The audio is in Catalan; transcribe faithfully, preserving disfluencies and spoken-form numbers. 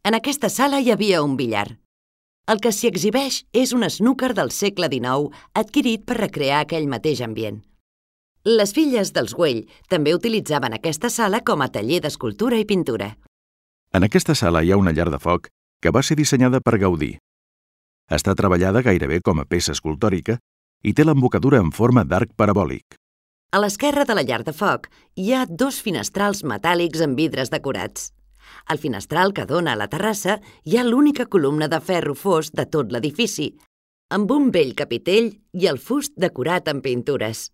En aquesta sala hi havia un billar. El que s'hi exhibeix és un snooker del segle dinou adquirit per recrear aquell mateix ambient. Les filles dels Güell també utilitzaven aquesta sala com a taller d'escultura i pintura. En aquesta sala hi ha una llar de foc que va ser dissenyada per Gaudí. Està treballada gairebé com a peça escultòrica i té l'embocadura en forma d'arc parabòlic. A l'esquerra de la llar de foc hi ha dos finestrals metàl·lics amb vidres decorats. Al finestral que dona a la terrassa hi ha l'única columna de ferro fos de tot l'edifici, amb un bell capitell i el fust decorat amb pintures.